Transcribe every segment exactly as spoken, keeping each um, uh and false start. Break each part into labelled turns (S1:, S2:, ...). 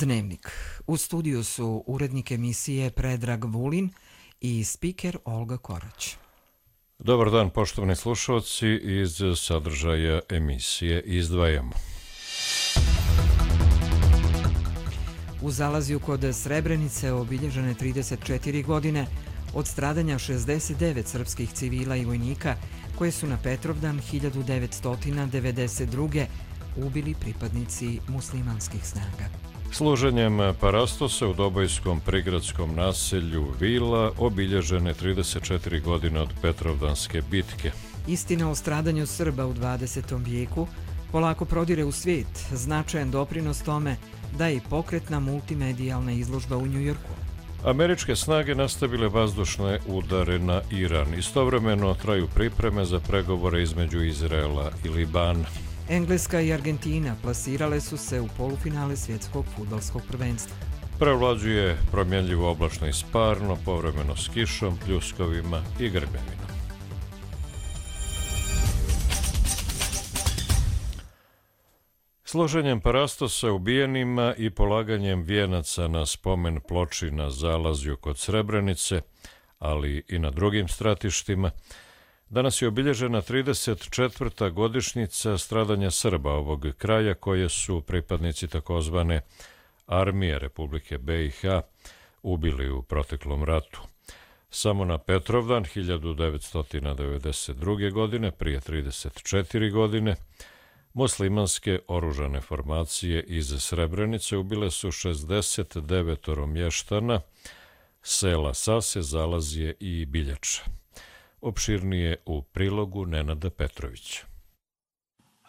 S1: Dnevnik. U studiju su urednik emisije Predrag Vulin i spiker Olga Korać.
S2: Dobar dan, poštovani slušalci, iz sadržaja emisije izdvajamo.
S1: U Zalazju kod Srebrenice obilježene trideset četiri godine od stradanja šezdeset devet srpskih civila i vojnika koje su na Petrovdan hiljadu devetsto devedeset druge ubili pripadnici muslimanskih snaga.
S2: Služenjem parastosa u Dobojskom prigradskom naselju Vila obilježene trideset četiri godine od Petrovdanske bitke.
S1: Istina o stradanju Srba u dvadesetom vijeku polako prodire u svijet, značajan doprinos tome da je i pokretna multimedijalna izložba u Njujorku.
S2: Američke snage nastavile vazdušne udare na Iran. Istovremeno traju pripreme za pregovore između Izraela i Libana.
S1: Engleska i Argentina plasirale su se u polufinale svjetskog fudbalskog prvenstva.
S2: Prevlađuje promjenljivo oblačno i sparno, povremeno s kišom, pljuskovima i grmljavinom. Složenjem parastosa ubijenima i polaganjem vijenaca na spomen ploči na Zalazju kod Srebrenice, ali i na drugim stratištima, danas je obilježena trideset četvrta godišnjica stradanja Srba ovog kraja koje su pripadnici takozvane Armije Republike be i ha ubili u proteklom ratu. Samo na Petrovdan hiljadu devetsto devedeset druge. godine, prije trideset četiri godine, muslimanske oružane formacije iz Srebrenice ubile su šezdeset devet mještana sela Sase, Zalazje i Biljača. Opširnije u prilogu Nenada Petrovića.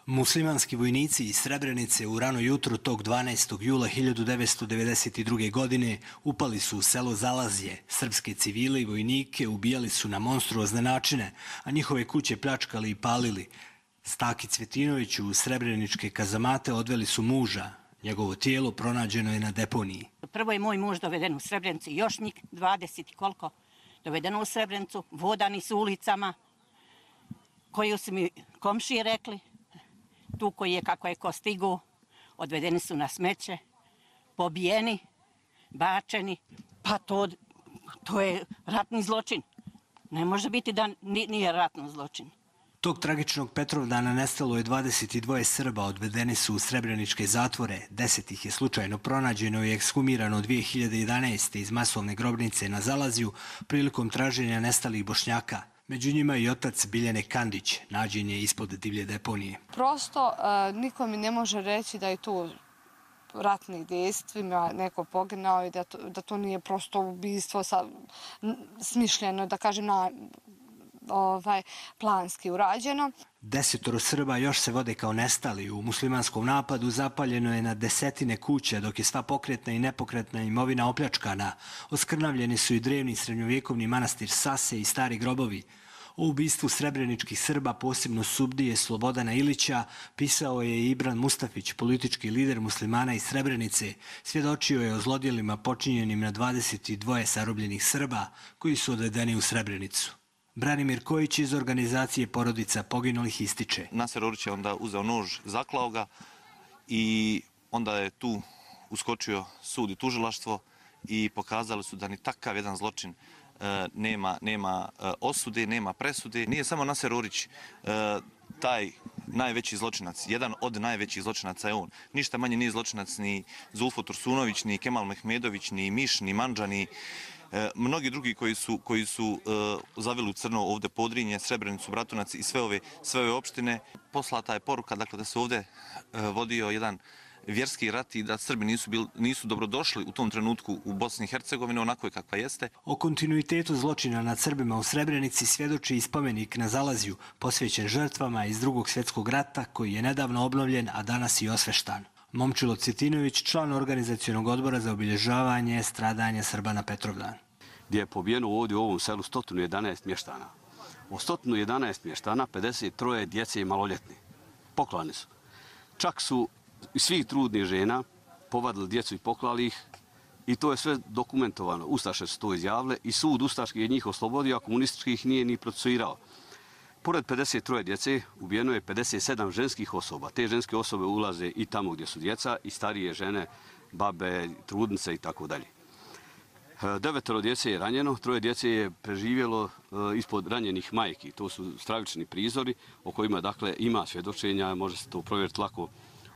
S3: Muslimanski vojnici iz Srebrenice u rano jutro tog dvanaestog jula hiljadu devetsto devedeset druge. godine upali su u selo Zalazje. Srpske civile i vojnike ubijali su na monstruozne načine, a njihove kuće pljačkali i palili. Staki Cvetinović u srebreničke kazamate odveli su muža. Njegovo tijelo pronađeno je na deponiji.
S4: Prvo je moj muž doveden u Srebrenicu, još njih dvadeset i koliko dovedeno u Srebrenicu, vodani su ulicama, koju su mi komšije rekli, tu koji je kako je ko stigu, odvedeni su na smeće, pobijeni, bačeni, pa to, to je ratni zločin. Ne može biti da nije ratno zločin.
S3: Tog tragičnog Petrovdana nestalo je dvadeset dva Srba, odvedeni su u srebreničke zatvore, deset ih je slučajno pronađeno i ekshumirano dvije hiljade jedanaeste. iz masovne grobnice na Zalazju prilikom traženja nestalih Bošnjaka. Među njima i otac Biljane Kandić, nađen je ispod divlje deponije.
S5: Prosto uh, niko mi ne može reći da je tu ratnih dejstvima neko poginao i da to, da to nije prosto ubistvo sa, smišljeno, da kažem, na ovaj, planski urađeno.
S3: Desetoro Srba još se vode kao nestali. U muslimanskom napadu zapaljeno je na desetine kuća, dok je sva pokretna i nepokretna imovina opljačkana. Oskrnavljeni su i drevni srednjovjekovni manastir Sase i stari grobovi. O ubistvu srebreničkih Srba, posebno Subdije Slobodana Ilića, pisao je Ibran Mustafić, politički lider muslimana iz Srebrenice. Svjedočio je o zlodjelima počinjenim na dvadeset dva zarobljenih Srba koji su odvedeni u Srebrenicu. Branimir Kojić iz organizacije Porodica poginulih ističe.
S6: Naser Orić je onda uzeo nož, zaklao ga i onda je tu uskočio sud i tužilaštvo i pokazali su da ni takav jedan zločin e, nema, nema e, osude, nema presude. Nije samo Naser Orić e, taj najveći zločinac, jedan od najvećih zločinaca je on. Ništa manje nije zločinac ni Zulfo Tursunović, ni Kemal Mehmedović, ni Miš, ni Mandža, ni E, mnogi drugi koji su, koji su e, zavili u crno ovdje Podrinje, Srebrenicu, Bratunac i sve ove, sve ove opštine. Poslata je poruka dakle, da se ovdje e, vodio jedan vjerski rat i da Srbi nisu, bil, nisu dobrodošli u tom trenutku u Bosni i Hercegovini onako je kakva jeste.
S3: O kontinuitetu zločina nad Srbima u Srebrenici svjedoči i spomenik na Zalazju, posvećen žrtvama iz Drugog svjetskog rata koji je nedavno obnovljen, a danas i osveštan. Momčilo Cvetinović, član organizacionog odbora za obilježavanje stradanja Srba na Petrovdan.
S7: Gdje je pobijeno ovdje u ovom selu sto jedanaest mještana. Od sto jedanaest mještana pedeset tri djece i maloljetni. Poklani su. Čak su svih trudnih žena povadili djecu i poklali ih i to je sve dokumentovano. Ustaše su to izjavile i sud ustaški je njih oslobodio, a komunistički ih nije ni procesuirao. Pored pedeset tri djece ubijeno je pedeset sedam ženskih osoba. Te ženske osobe ulaze i tamo gdje su djeca i starije žene babe, trudnice i tako dalje. Devetero djece je ranjeno, troje djece je preživjelo ispod ranjenih majki. To su stravični prizori o kojima dakle ima svjedočenja, može se to provjeriti lako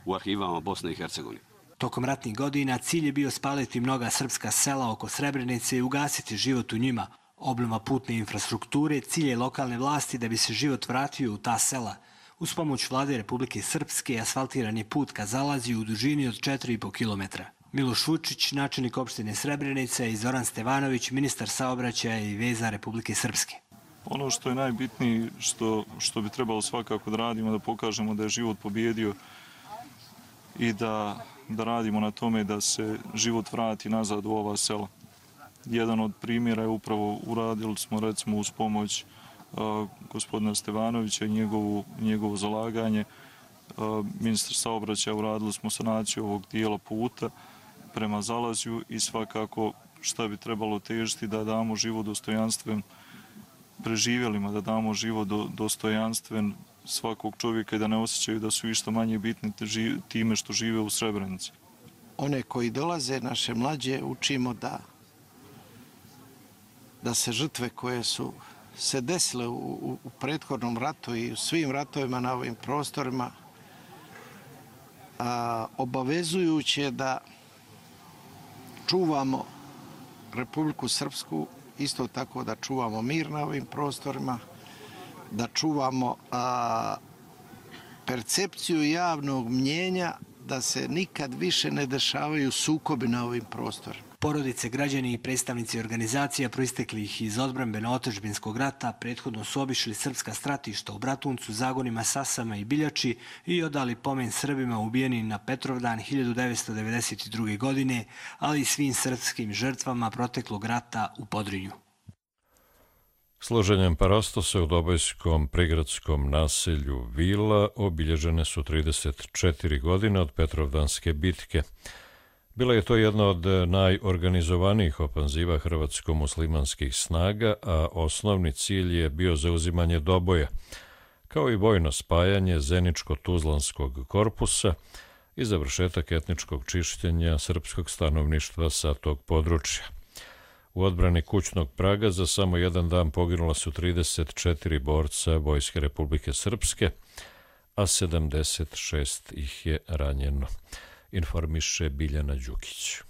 S7: u arhivama Bosne i Hercegovine.
S3: Tokom ratnih godina cilj je bio spaliti mnoga srpska sela oko Srebrenice i ugasiti život u njima. Obnova putne infrastrukture cilj je lokalne vlasti da bi se život vratio u ta sela. Uz pomoć vlade Republike Srpske asfaltiran je put ka Zalaziju u dužini od četiri i po kilometra. Miloš Vučić, načelnik opštine Srebrenica, i Zoran Stevanović, ministar saobraćaja i veza Republike Srpske.
S8: Ono što je najbitnije, što, što bi trebalo svakako da radimo, da pokažemo da je život pobjedio i da, da radimo na tome da se život vrati nazad u ova sela. Jedan od primjera je upravo uradili smo recimo uz pomoć uh, gospodina Stevanovića i njegovu, njegovo zalaganje. Uh, ministar saobraćaja uradili smo sanaciju ovog dijela puta prema Zalazju i svakako šta bi trebalo težiti da damo život dostojanstven preživjelima, da damo život do, dostojanstven svakog čovjeka i da ne osjećaju da su išta manje bitni time što žive u Srebrenici.
S9: One koji dolaze, naše mlađe, učimo da da se žrtve koje su se desile u, u, u prethodnom ratu i u svim ratovima na ovim prostorima a, obavezujuće da čuvamo Republiku Srpsku, isto tako da čuvamo mir na ovim prostorima, da čuvamo a, percepciju javnog mnjenja da se nikad više ne dešavaju sukobi na ovim prostorima.
S3: Porodice, građani i predstavnici organizacija proisteklih iz odbrambeno-otadžbinskog rata prethodno su obišli srpska stratišta u Bratuncu, Zagonima, Sasama i Biljači i odali pomen Srbima ubijenim na Petrovdan hiljadu devetsto devedeset druge. godine, ali i svim srpskim žrtvama proteklog rata u Podrinju.
S2: Složenjem parastosa u dobojskom prigradskom naselju Vila obilježene su trideset četiri godine od Petrovdanske bitke. Bila je to jedna od najorganizovanijih ofanziva hrvatsko-muslimanskih snaga, a osnovni cilj je bio zauzimanje Doboja, kao i vojno spajanje Zeničko-Tuzlanskog korpusa i završetak etničkog čišćenja srpskog stanovništva sa tog područja. U odbrani kućnog praga za samo jedan dan poginula su trideset četiri borca Vojske Republike Srpske, a sedamdeset šest ih je ranjeno, informiše Biljana Đukić.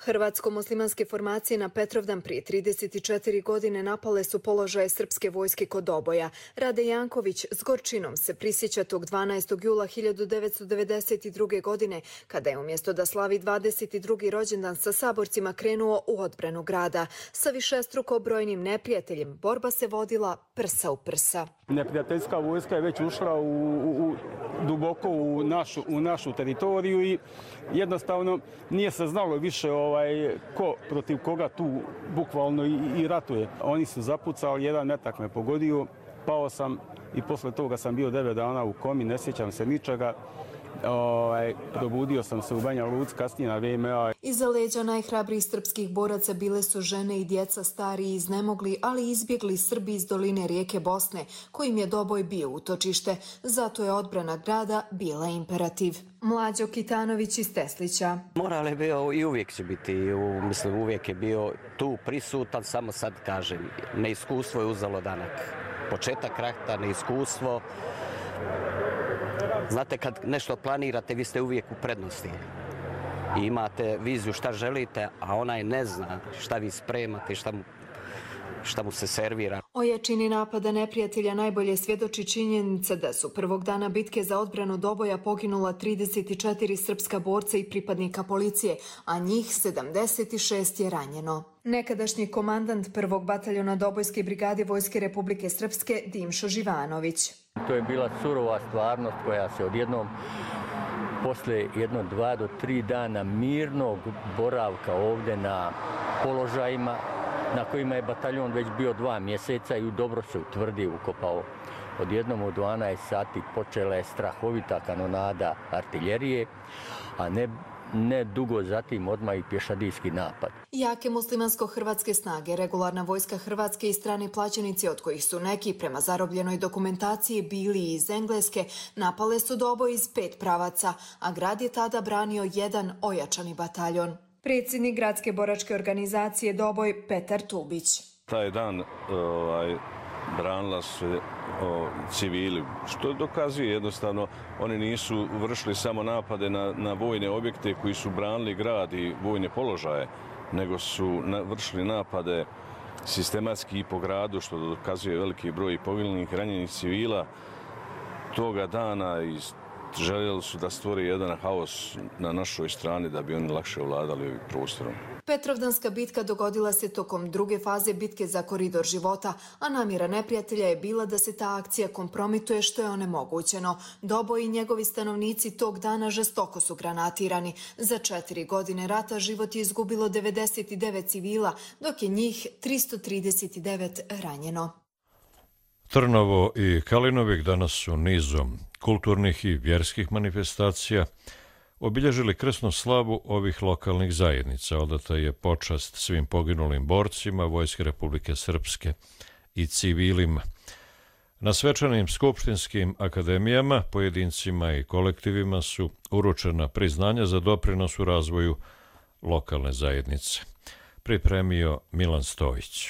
S10: Hrvatsko-muslimanske formacije na Petrovdan prije trideset četiri godine napale su položaje srpske vojske kod Doboja. Rade Janković s gorčinom se prisjeća tog dvanaestog jula hiljadu devetsto devedeset druge. godine, kada je umjesto da slavi dvadeset drugi rođendan sa saborcima krenuo u odbranu grada. Sa višestruko brojnim neprijateljem borba se vodila prsa u prsa.
S11: Neprijateljska vojska je već ušla u, u, u, duboko u našu, u našu teritoriju i jednostavno nije se znalo više ovaj, ko protiv koga tu bukvalno i, i ratuje. Oni su zapucali, jedan metak me pogodio, pao sam i posle toga sam bio devet dana u komi, ne sjećam se ničega. Ovaj, probudio sam se u Banja Luci kasnije na V M A.
S10: Iza leđa najhrabrijih srpskih boraca bile su žene i djeca, stari i iznemogli, ali izbjegli Srbi iz doline rijeke Bosne, kojim je Doboj bio utočište. Zato je odbrana grada bila imperativ. Mlađo Kitanović iz Teslića.
S12: Moral je bio i uvijek će biti, mislim uvijek je bio tu prisutan, samo sad kažem, neiskustvo je uzelo danak. Početak rata, neiskustvo. Znate, kad nešto planirate, vi ste uvijek u prednosti. I imate viziju šta želite, a onaj ne zna šta vi spremate i šta mu, šta mu se servira.
S10: O jačini napada neprijatelja najbolje svjedoči činjenica da su prvog dana bitke za odbranu Doboja poginula trideset četiri srpska borca i pripadnika policije, a njih sedamdeset šest je ranjeno. Nekadašnji komandant prvog bataljona Dobojske brigade Vojske Republike Srpske Dimšo Živanović.
S13: To je bila surova stvarnost koja se odjednom, posle jedno dva do tri dana mirnog boravka ovdje na položajima, na kojima je bataljon već bio dva mjeseca i dobro se utvrdio, ukopao. Odjednom u dvanaest sati počela je strahovita kanonada artiljerije, a ne, ne dugo zatim odmah i pješadijski napad.
S10: Jake muslimansko-hrvatske snage, regularna vojska Hrvatske i strani plaćenici, od kojih su neki prema zarobljenoj dokumentaciji bili iz Engleske, napale su Doboj iz pet pravaca, a grad je tada branio jedan ojačani bataljon. Predsjednik gradske boračke organizacije Doboj Petar Tubić.
S14: Taj dan ovaj, branila se o, civili, što dokazuje jednostavno oni nisu vršili samo napade na, na vojne objekte koji su branili grad i vojne položaje, nego su na, vršili napade sistematski i po gradu, što dokazuje veliki broj poginulih, ranjenih civila toga dana i željeli su da stvori jedan haos na našoj strani da bi oni lakše ovladali ovim prostorom.
S10: Petrovdanska bitka dogodila se tokom druge faze bitke za koridor života, a namjera neprijatelja je bila da se ta akcija kompromituje, što je onemogućeno. Doboj i njegovi stanovnici tog dana žestoko su granatirani. Za četiri godine rata život je izgubilo devedeset devet civila, dok je njih tristo trideset devet ranjeno.
S2: Trnovo i Kalinovik danas su nizom kulturnih i vjerskih manifestacija obilježili krsnu slavu ovih lokalnih zajednica. Odata je počast svim poginulim borcima Vojske Republike Srpske i civilima. Na svečanim skupštinskim akademijama, pojedincima i kolektivima su uručena priznanja za doprinos u razvoju lokalne zajednice. Pripremio Milan Stojić.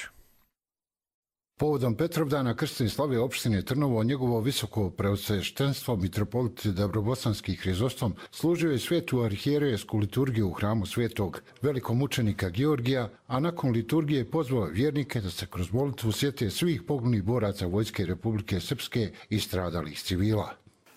S15: Povodom Petrovdana krsne slave opštine Trnovo, njegovo visoko preosveštenstvo mitropolit Dabrobosanski Hrizostom služio je svetu arhijerejesku liturgiju u hramu svetog velikomučenika Georgija, a nakon liturgije pozvao vjernike da se kroz molitvu sjete svih poginulih boraca Vojske Republike Srpske i stradalih civila.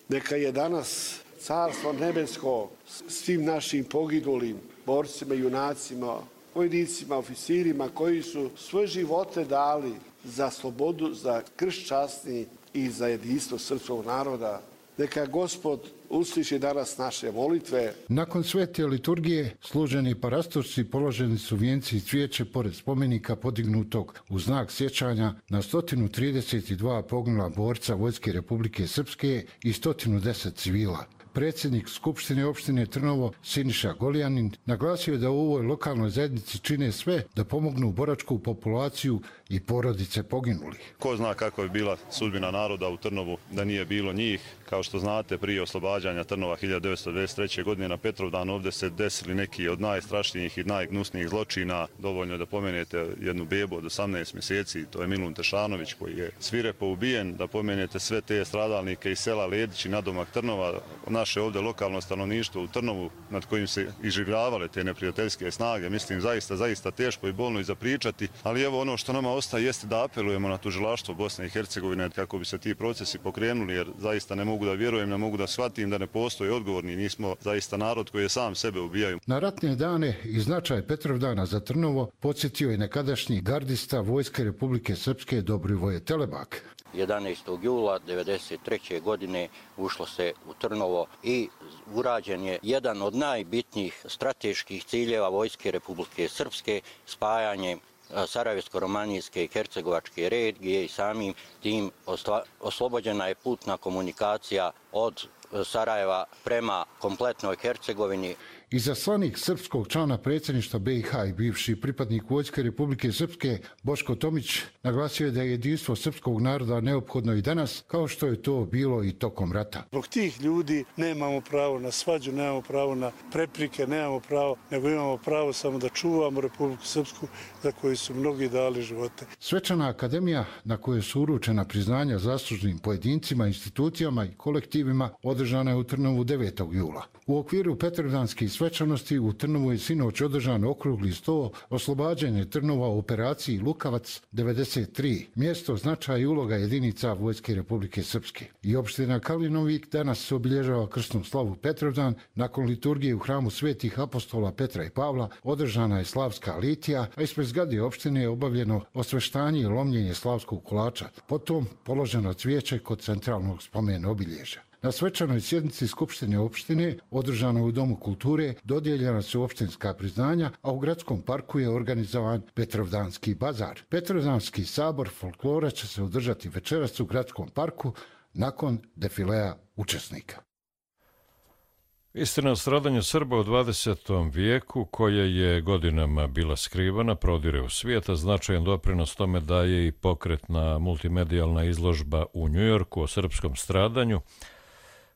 S16: Neka je danas carstvo nebesko svim našim poginulim borcima, junacima, vojnicima, oficirima koji su svoje živote dali za slobodu, za krst časni i za jedinstvo srpskog naroda. Neka Gospod usliši danas naše molitve.
S15: Nakon svete liturgije, služeni parastorci položeni su vijenci i cvijeće pored spomenika podignutog u znak sjećanja na sto trideset dva poginula borca Vojske Republike Srpske i sto deset civila. Predsjednik Skupštine opštine Trnovo Siniša Golijanin naglasio je da u ovoj lokalnoj zajednici čine sve da pomognu boračku populaciju i porodice poginulih.
S17: Ko zna kako je bila sudbina naroda u Trnovu da nije bilo njih. Kao što znate, prije oslobađanja Trnova hiljadu devetsto dvadeset treće. godine na Petrovdan ovdje se desili neki od najstrašnijih i najgnusnijih zločina. Dovoljno je da pomenete jednu bebu od osamnaest mjeseci, to je Milun Tešanović koji je svirepo ubijen, da pomenete sve te stradalnike iz sela Ledić i nadomak Trnova, naše ovdje lokalno stanovništvo u Trnovu nad kojim se iživljavale te neprijateljske snage. Mislim, zaista, zaista teško i bolno i zapričati, ali evo ono što nama ostaje jeste da apelujemo na tužilaštvo Bosne i Hercegovine kako bi se ti procesi pokrenuli, jer zaista ne mogu da vjerujem, ne mogu da shvatim da ne postoji odgovorni. Nismo zaista narod koji je sam sebe ubijaju.
S15: Na ratne dane i značaj Petrovdana za Trnovo podsjetio je nekadašnji gardista Vojske Republike Srpske Dobrivoje Telebak.
S18: jedanaestog jula devedeset treće. godine ušlo se u Trnovo i urađen je jedan od najbitnijih strateških ciljeva Vojske Republike Srpske, spajanje Sarajevsko-romanijske i Hercegovačke regije i samim tim oslobođena je putna komunikacija od Sarajeva prema kompletnoj Hercegovini.
S15: Izaslanik srpskog člana predsjedništva be i ha i bivši pripadnik Vojske Republike Srpske Boško Tomić naglasio je da je jedinstvo srpskog naroda neophodno i danas, kao što je to bilo i tokom rata.
S16: Zbog tih ljudi nemamo pravo na svađu, nemamo pravo na preprike, nemamo pravo, nego imamo pravo samo da čuvamo Republiku Srpsku za koju su mnogi dali živote.
S15: Svečana akademija na kojoj su uručena priznanja zaslužnim pojedincima, institucijama i kolektivima održana je u Trnovu devetog jula. U okviru Petrovdanskih svečanosti u Trnovu je sinoć održan okrugli sto oslobađanje Trnova u operaciji Lukavac devedeset tri, mjesto, značaj i uloga jedinica Vojske Republike Srpske. I opština Kalinovik danas se obilježava krsnu slavu Petrovdan. Nakon liturgije u hramu svetih apostola Petra i Pavla održana je slavska litija, a ispred zgrade opštine je obavljeno osveštanje i lomljenje slavskog kolača. Potom položeno cvijeće kod centralnog spomena obilježja. Na svečanoj sjednici Skupštine opštine, održano u Domu kulture, dodijeljena su opštinska priznanja, a u gradskom parku je organizovan Petrovdanski bazar. Petrovdanski sabor folklora će se održati večeras u gradskom parku nakon defilea učesnika.
S2: Istina o stradanju Srba u dvadesetom vijeku, koja je godinama bila skrivana, prodire u svijet, a značajan doprinos tome daje i pokretna multimedijalna izložba u Njujorku o srpskom stradanju,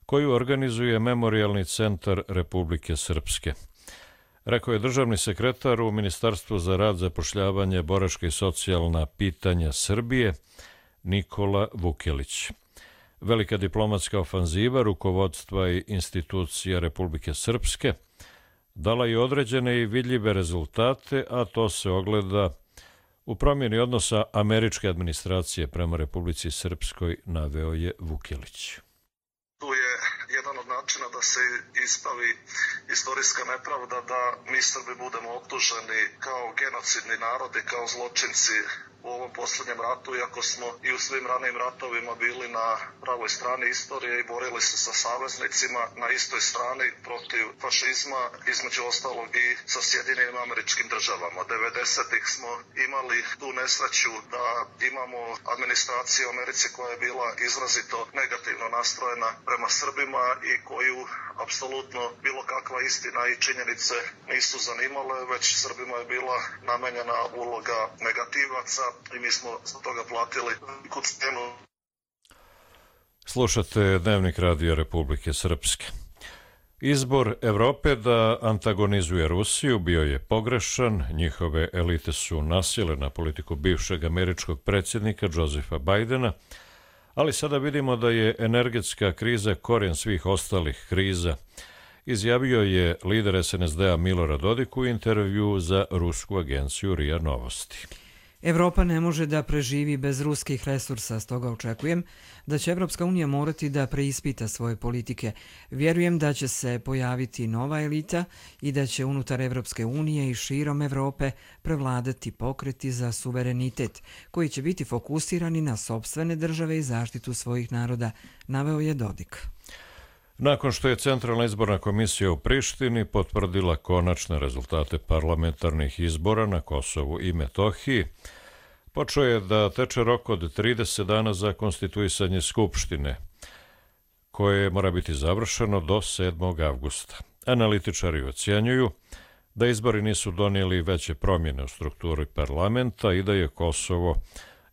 S2: koju organizuje Memorijalni centar Republike Srpske. Rekao je državni sekretar u Ministarstvu za rad, zapošljavanje, boračka i socijalna pitanja Srbije, Nikola Vukelić. Velika diplomatska ofanziva rukovodstva i institucija Republike Srpske dala je određene i vidljive rezultate, a to se ogleda u promjeni odnosa američke administracije prema Republici Srpskoj, naveo je Vukelić.
S19: Tu je jedan od načina da se ispravi istorijska nepravda, da mi Srbi budemo optuženi kao genocidni narodi, kao zločinci u ovom posljednjem ratu, iako smo i u svim ranijim ratovima bili na pravoj strani istorije i borili se sa saveznicima na istoj strani protiv fašizma, između ostalog i sa Sjedinjenim Američkim Državama. devedesetih smo imali tu nesreću da imamo administraciju u Americi koja je bila izrazito negativno nastrojena prema Srbima i koju apsolutno bilo kakva istina i činjenice nisu zanimale, već Srbima je bila namenjena uloga negativaca i mi smo za toga platili veliku cenu.
S2: Slušate Dnevnik Radija Republike Srpske. Izbor Evrope da antagonizuje Rusiju bio je pogrešan. Njihove elite su nasjele na politiku bivšeg američkog predsjednika Josefa Bajdena, ali sada vidimo da je energetska kriza korijen svih ostalih kriza, izjavio je lider es en es de a Milorad Dodik u intervju za rusku agenciju R I A Novosti.
S1: Evropa ne može da preživi bez ruskih resursa, stoga očekujem da će Evropska unija morati da preispita svoje politike. Vjerujem da će se pojaviti nova elita i da će unutar Evropske unije i širom Evrope prevladati pokreti za suverenitet, koji će biti fokusirani na sopstvene države i zaštitu svojih naroda, naveo je Dodik.
S2: Nakon što je Centralna izborna komisija u Prištini potvrdila konačne rezultate parlamentarnih izbora na Kosovu i Metohiji, počeo je da teče rok od trideset dana za konstituisanje Skupštine, koje mora biti završeno do sedmog avgusta. Analitičari ocjenjuju da izbori nisu donijeli veće promjene u strukturi parlamenta i da je Kosovo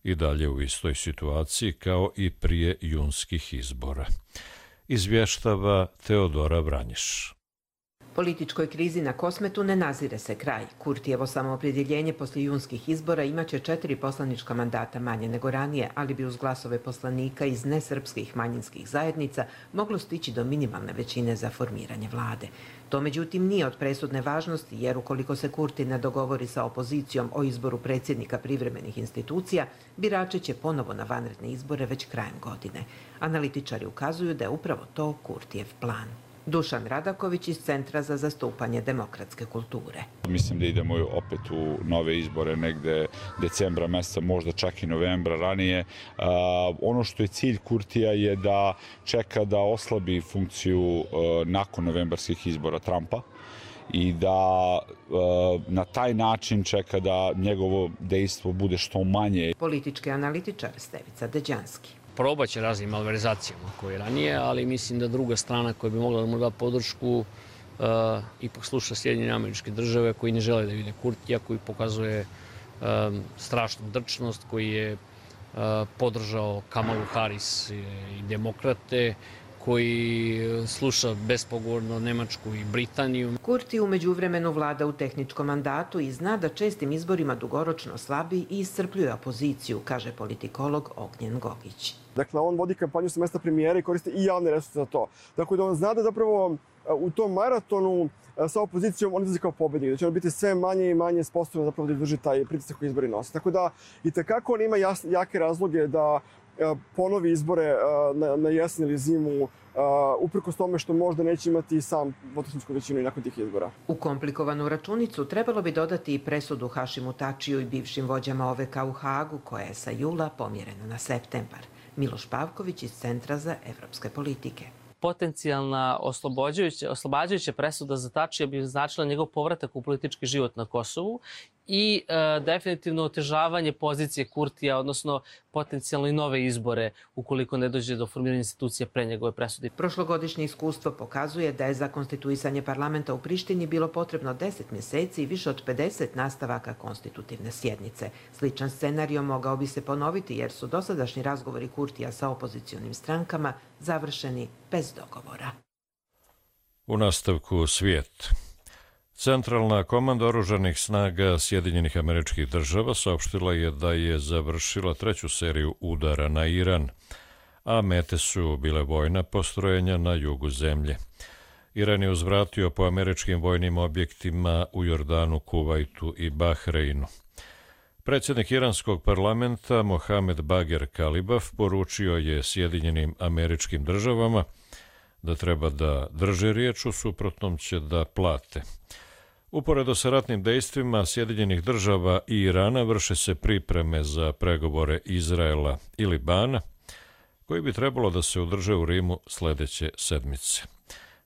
S2: i dalje u istoj situaciji kao i prije junskih izbora. Izvještava Teodora Vranješ.
S20: Političkoj krizi na Kosmetu ne nazire se kraj. Kurtijevo samoopredjeljenje poslije junskih izbora imaće četiri poslanička mandata manje nego ranije, ali bi uz glasove poslanika iz nesrpskih manjinskih zajednica moglo stići do minimalne većine za formiranje vlade. To međutim nije od presudne važnosti, jer ukoliko se Kurti ne dogovori sa opozicijom o izboru predsjednika privremenih institucija, birači će ponovo na vanredne izbore već krajem godine. Analitičari ukazuju da je upravo to Kurtijev plan. Dušan Radaković iz Centra za zastupanje demokratske kulture.
S21: Mislim da idemo opet u nove izbore negde decembra meseca, možda čak i novembra ranije. Uh, ono što je cilj Kurtija je da čeka da oslabi funkciju uh, nakon novembarskih izbora Trumpa i da uh, na taj način čeka da njegovo dejstvo bude što manje.
S20: Politički analitičar Stevica Deđanski.
S22: Probat će raznim malverzacijama koje je ranije, ali mislim da druga strana koja bi mogla da mu da podršku uh, ipak sluša Sjedinjene Američke Države, koji ne žele da vide Kurtija, koji pokazuje um, strašnu drčnost, koji je uh, podržao Kamalu Harris i demokrate, koji sluša bespogovorno Nemačku i Britaniju.
S20: Kurti u međuvremenu vlada u tehničkom mandatu i zna da čestim izborima dugoročno slabi i iscrpljuje opoziciju, kaže politikolog Ognjen Gogić.
S23: Dakle, on vodi kampanju sa mesta premijera i koristi i javne resurse za to. Dakle, da on zna da zapravo u tom maratonu sa opozicijom on izlazi kao pobednik, da će on biti sve manje i manje sposobno zapravo da izdrži taj pritisak koji izbori nose. Tako da i tekako on ima jas, jake razloge da ponovi izbore na, na jesen ili zimu, uprkos tome što možda neće imati sam dvotrećinsku većinu i nakon tih izbora.
S20: U komplikovanu računicu trebalo bi dodati i presudu Hašimu Tačiju i bivšim vođama O V K u Hagu, koja je sa jula pomjerena na septembar. Miloš Pavković iz Centra za evropske politike.
S24: Potencijalna oslobađajuća, oslobađajuća presuda za Tačija bi značila njegov povratak u politički život na Kosovu
S4: i e, definitivno otežavanje pozicije Kurtija, odnosno potencijalno i nove izbore ukoliko ne dođe do formiranja institucija pre njegove presude.
S20: Prošlogodišnje iskustvo pokazuje da je za konstituisanje parlamenta u Prištini bilo potrebno deset mjeseci i više od pedeset nastavaka konstitutivne sjednice. Sličan scenario mogao bi se ponoviti jer su dosadašnji razgovori Kurtija sa opozicionim strankama završeni bez dogovora.
S2: U nastavku svijet. Centralna komanda oružanih snaga Sjedinjenih Američkih Država saopštila je da je završila treću seriju udara na Iran, a mete su bile vojna postrojenja na jugu zemlje. Iran je uzvratio po američkim vojnim objektima u Jordanu, Kuvajtu i Bahreinu. Predsjednik iranskog parlamenta Mohamed Bager Kalibaf poručio je Sjedinjenim Američkim Državama da treba da drže riječ, u suprotnom će da plate. Uporedo sa ratnim dejstvima Sjedinjenih Država i Irana vrše se pripreme za pregovore Izraela i Libana, koji bi trebalo da se održe u Rimu sljedeće sedmice.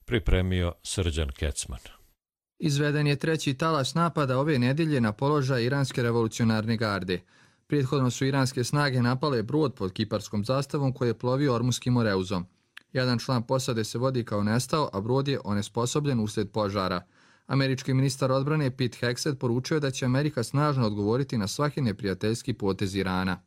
S2: Pripremio Srđan Kecman.
S5: Izveden je treći talas napada ove nedjelje na položaj iranske revolucionarne garde. Prethodno su iranske snage napale brod pod kiparskom zastavom koji je plovio Ormuškim moreuzom. Jedan član posade se vodi kao nestao, a brod je onesposobljen uslijed požara. Američki ministar odbrane Pete Hegseth poručio da će Amerika snažno odgovoriti na svaki neprijateljski potez Irana.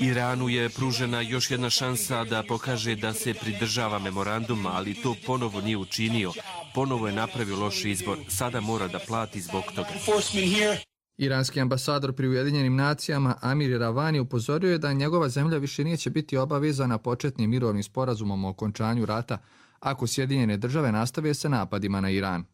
S6: Iranu je pružena još jedna šansa da pokaže da se pridržava memoranduma, ali to ponovo nije učinio. Ponovo je napravio loš izbor. Sada mora da plati zbog toga.
S5: Iranski ambasador pri Ujedinjenim nacijama Amir Ravani upozorio je da njegova zemlja više neće biti obavezana početnim mirovnim sporazumom o okončanju rata ako Sjedinjene države nastave sa napadima na Iran.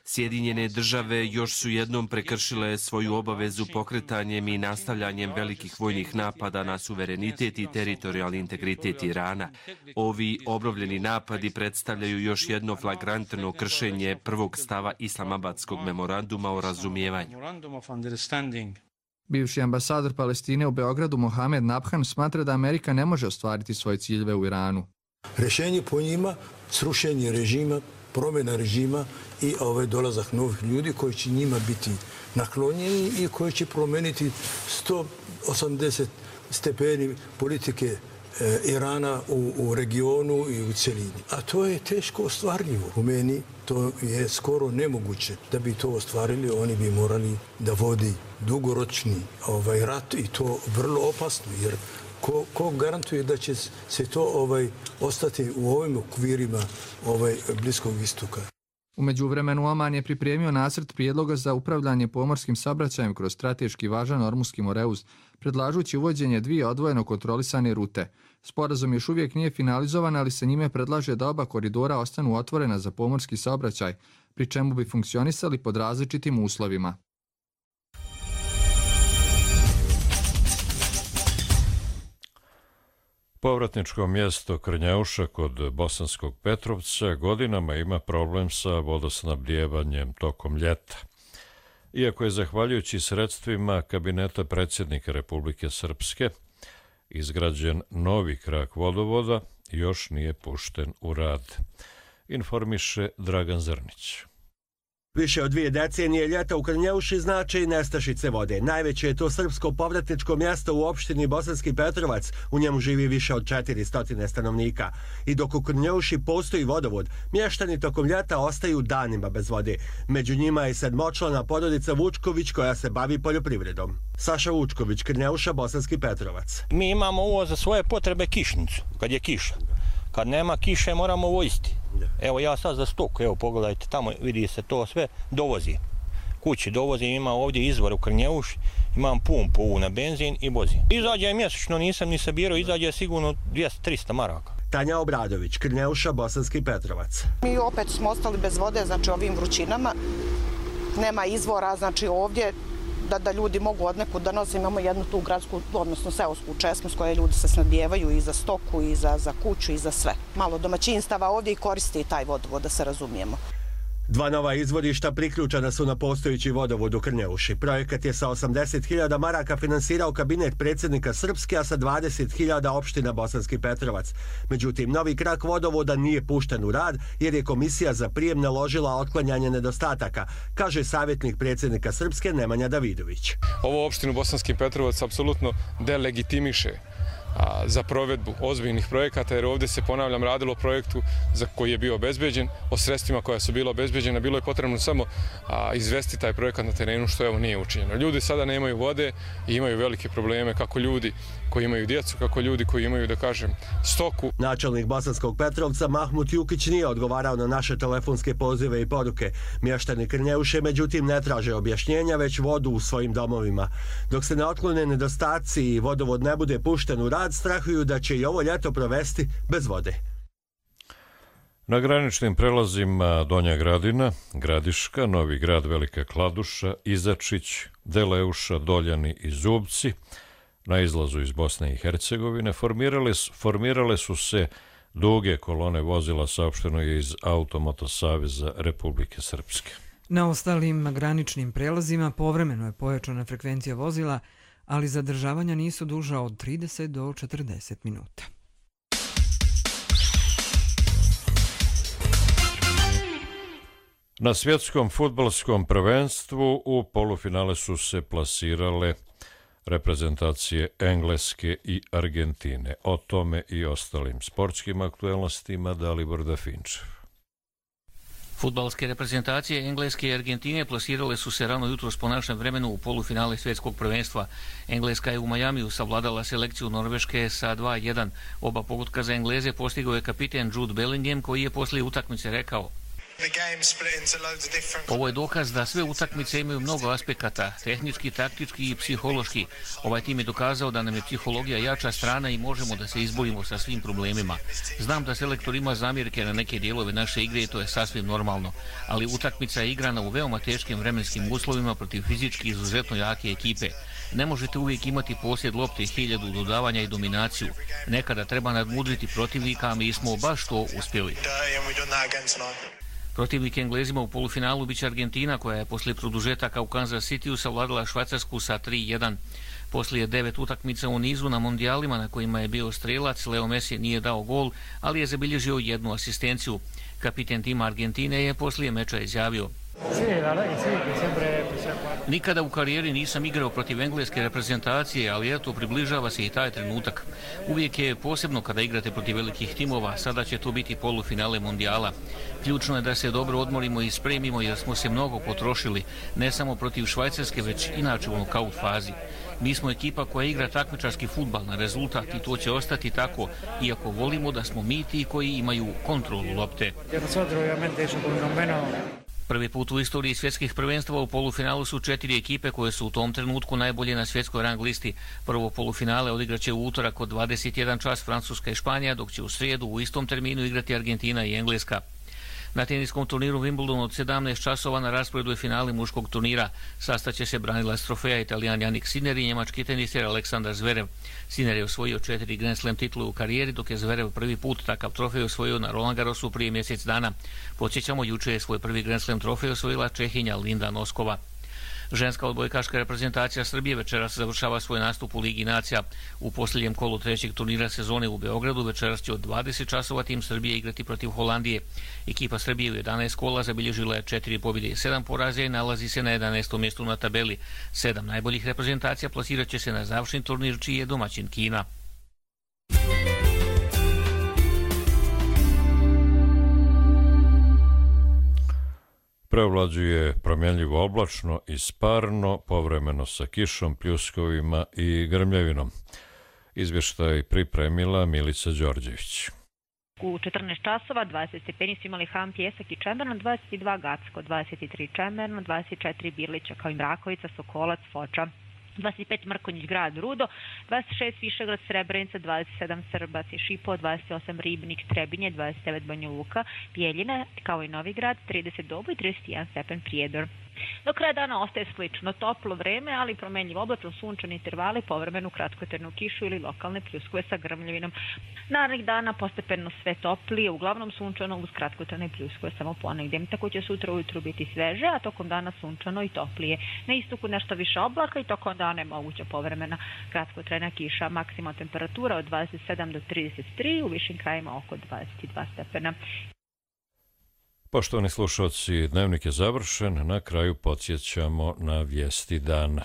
S6: Sjedinjene države još su jednom prekršile svoju obavezu pokretanjem i nastavljanjem velikih vojnih napada na suverenitet i teritorijalni integritet Irana. Ovi obnovljeni napadi predstavljaju još jedno flagrantno kršenje prvog stava Islamabadskog memoranduma o razumijevanju.
S5: Bivši ambasador Palestine u Beogradu Mohamed Nabhan smatra da Amerika ne može ostvariti svoje ciljeve u Iranu.
S24: Rješenje po njima, srušenje režima, promjena režima i ovaj dolazak novih ljudi koji će njima biti naklonjeni i koji će promijeniti sto osamdeset stepeni politike e, Irana u, u regionu i u celini. A to je teško ostvarljivo. U meni to je skoro nemoguće. Da bi to ostvarili, oni bi morali da vodi dugoročni ovaj rat i to vrlo opasno, jer Ko, ko garantuje da će se to ovaj ostati u ovim okvirima ovaj Bliskog istoka?
S5: U međuvremenu Oman je pripremio nacrt prijedloga za upravljanje pomorskim saobraćajem kroz strateški važan Ormuški moreuz, predlažući uvođenje dvije odvojeno kontrolisane rute. Sporazum još uvijek nije finalizovan, ali se njime predlaže da oba koridora ostanu otvorena za pomorski saobraćaj, pri čemu bi funkcionisali pod različitim uslovima.
S2: Povratničko mjesto Krnjauša kod Bosanskog Petrovca godinama ima problem sa vodosnabdjevanjem tokom ljeta. Iako je zahvaljujući sredstvima kabineta predsjednika Republike Srpske izgrađen novi krak vodovoda, još nije pušten u rad, informiše Dragan Zrnić.
S25: Više od dvije decenije ljeta u Krnjauši znači i nestašice vode. Najveće je to srpsko povratničko mjesto u opštini Bosanski Petrovac. U njemu živi više od četiristo stanovnika. I dok u Krnjauši postoji vodovod, mještani tokom ljeta ostaju danima bez vode. Među njima je sedmočlana porodica Vučković koja se bavi poljoprivredom. Saša Vučković, Krnjauša, Bosanski Petrovac.
S26: Mi imamo uvo za svoje potrebe kišnicu, kad je kiša. Kad nema kiše moramo voziti. Evo ja sad za stoku, evo pogledajte, tamo vidi se to sve, dovozi. Kući dovozim, ima ovdje izvor u Krnjauši, imam pumpu na benzin i vozim. Izađe mjesečno, nisam ni sabirao, izađe sigurno dvjesto do trista maraka.
S25: Tanja Obradović, Krnjauša, Bosanski Petrovac.
S27: Mi opet smo ostali bez vode, znači ovim vrućinama. Nema izvora, znači ovdje da, da ljudi mogu od nekud da nosi. Imamo jednu tu gradsku, odnosno seosku česmu s koje ljudi se snadjevaju i za stoku, i za, za kuću, i za sve. Malo domaćinstava ovdje i koristi taj vodovod, da se razumijemo.
S25: Dva nova izvorišta priključena su na postojeći vodovod u Krnjeuši. Projekat je sa osamdeset hiljada maraka finansirao kabinet predsjednika Srpske, a sa dvadeset hiljada opština Bosanski Petrovac. Međutim, novi krak vodovoda nije pušten u rad jer je komisija za prijem naložila otklanjanje nedostataka, kaže savjetnik predsjednika Srpske Nemanja Davidović.
S3: Ovo opštinu Bosanski Petrovac apsolutno delegitimiše za provedbu ozbiljnih projekata, jer ovdje se, ponavljam, radilo o projektu za koji je bio obezbeđen, o sredstvima koja su bila obezbeđena. Bilo je potrebno samo izvesti taj projekat na terenu, što evo nije učinjeno. Ljudi sada nemaju vode i imaju velike probleme, kako ljudi koji imaju djecu, kako ljudi koji imaju, da kažem, stoku.
S25: Načelnik Bosanskog Petrovca Mahmut Jukić nije odgovarao na naše telefonske pozive i poruke. Mještani Krnjeuše, međutim, ne traže objašnjenja, već vodu u svojim domovima. Dok se ne otklone nedostaci i vodovod ne bude pušten u rad, strahuju da će i ovo ljeto provesti bez vode.
S2: Na graničnim prelazima Donja Gradina, Gradiška, Novi Grad, Velika Kladuša, Izačić, Deleuša, Doljani i Zubci na izlazu iz Bosne i Hercegovine formirale, formirale su se duge kolone vozila, saopšteno je iz Automoto Saveza Republike Srpske.
S1: Na ostalim graničnim prelazima povremeno je pojačana frekvencija vozila, ali zadržavanja nisu duža od trideset do četrdeset minuta.
S2: Na svjetskom fudbalskom prvenstvu u polufinale su se plasirale reprezentacije Engleske i Argentine. O tome i ostalim sportskim aktuelnostima Dalibor Dafinčev.
S7: Fudbalske reprezentacije Engleske i Argentine plasirale su se rano jutros po našem vremenu u polufinale svjetskog prvenstva. Engleska je u Majamiju savladala selekciju Norveške sa dva jedan. Oba pogotka za Engleze postigao je kapiten Jude Bellingham, koji je poslije utakmice rekao: ovo je dokaz da sve utakmice imaju mnogo aspekata, tehnički, taktički i psihološki. Ovaj tim je dokazao da nam je psihologija jača strana i možemo da se izborimo sa svim problemima. Znam da selektor ima zamjerke na neke dijelove naše igre i to je sasvim normalno, ali utakmica je igrana u veoma teškim vremenskim uslovima protiv fizički izuzetno jake ekipe. Ne možete uvijek imati posjed lopte, hiljadu dodavanja i dominaciju. Nekada treba nadmudriti protivnika, a mi smo baš to uspjeli. Protivnik Englezima u polufinalu biće Argentina, koja je poslije produžetaka u Kansas Cityu savladala Švajcarsku sa tri jedan. Poslije devet utakmica u nizu na mondijalima na kojima je bio strelac, Leo Messi nije dao gol, ali je zabilježio jednu asistenciju. Kapiten tima Argentine je poslije meča izjavio: nikada u karijeri nisam igrao protiv engleske reprezentacije, ali eto, približava se i taj trenutak. Uvijek je posebno kada igrate protiv velikih timova, sada će to biti polufinale mondijala. Ključno je da se dobro odmorimo i spremimo jer smo se mnogo potrošili, ne samo protiv Švajcarske, već inače u nokaut fazi. Mi smo ekipa koja igra takmičarski fudbal na rezultat i to će ostati tako, iako volimo da smo mi ti koji imaju kontrolu lopte. Prvi put u istoriji svjetskih prvenstava u polufinalu su četiri ekipe koje su u tom trenutku najbolje na svjetskoj rang listi. Prvo polufinale odigraće u utorak od dvadeset jedan čas Francuska i Španija, dok će u srijedu u istom terminu igrati Argentina i Engleska. Na teniskom turniru Wimbledon od sedamnaest časova na rasporedu je finale muškog turnira. Sastaće se branilac trofeja Italijan Jannik Sinner i njemački teniser Aleksandar Zverev. Sinner je osvojio četiri Grand Slam titule u karijeri, dok je Zverev prvi put takav trofej osvojio na Roland Garrosu prije mjesec dana. Podsjećamo, juče je svoj prvi Grand Slam trofej osvojila Čehinja Linda Noskova. Ženska odbojkaška reprezentacija Srbije večeras završava svoj nastup u Ligi nacija. U posljednjem kolu trećeg turnira sezone u Beogradu večeras će od dvadeset časova tim Srbije igrati protiv Holandije. Ekipa Srbije u jedanaest kola zabilježila je četiri pobjede i sedam poraza i nalazi se na jedanaestom mjestu na tabeli. Sedam najboljih reprezentacija plasirat će se na završni turnir, čiji je domaćin Kina.
S2: Preovlađuje promjenljivo oblačno i sparno, povremeno sa kišom, pljuskovima i grmljavinom. Izvještaj pripremila Milica Đorđević.
S8: U četrnaest časova dvadeset stepeni su imali Han, Pjesak i Čemerno, dvadeset dva Gacko, dvadeset tri Čemerno, dvadeset četiri Birlića, kao i Mrakovica, Sokolac, Foča, dvadeset pet Mrkonjić, Grad, Rudo, dvadeset šest Višegrad, Srebrenica, dvadeset sedam Srbac i Šipo, dvadeset osam Ribnik, Trebinje, dvadeset devet Banja Luka, Bijeljina, kao i Novi Grad, trideset Doboj i trideset jedan stepen Prijedor. Do kraja dana ostaje slično toplo vreme, ali promenljiv oblačno sunčani intervali, povremenu kratkotrajnu kišu ili lokalne pljuskove sa grmljavinom. Narednih dana postepeno sve toplije, uglavnom sunčano uz kratkotrajne pljuskove samo ponegdje. Tako će sutra ujutru biti sveže, a tokom dana sunčano i toplije. Na istoku nešto više oblaka i tokom dana je moguća povremena kratkotrajna kiša. Maksimalna temperatura od dvadeset sedam do trideset tri, u višim krajima oko dvadeset dva stepena.
S2: Poštovani slušalci, dnevnik je završen. Na kraju podsjećamo na vijesti dana.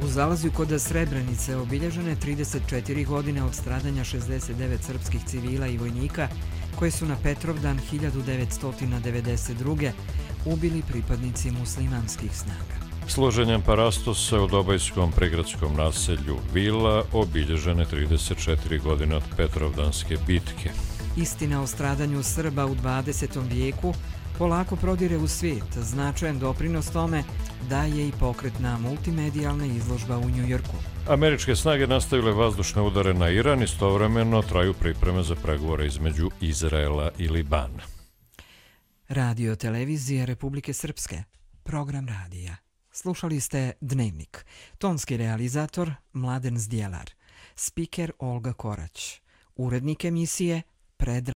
S1: U Zalazju kod Srebrenice obilježene trideset četiri godine od stradanja šezdeset devet srpskih civila i vojnika koje su na Petrovdan hiljadu devetsto devedeset druge ubili pripadnici muslimanskih snaga.
S2: Složenjem parastosa u Dobajskom prigradskom naselju Vila obilježene trideset četiri godine od Petrovdanske bitke.
S1: Istina o stradanju Srba u dvadesetom vijeku polako prodire u svijet. Značajan doprinos tome daje i pokretna multimedijalna izložba u Njujorku.
S2: Američke snage nastavile vazdušne udare na Iran, istovremeno traju pripreme za pregovore između Izraela i Libana.
S1: Radio televizije Republike Srpske. Program radija. Slušali ste Dnevnik. Tonski realizator Mladen Zdjelar. Spiker Olga Korać. Urednik emisije Predrag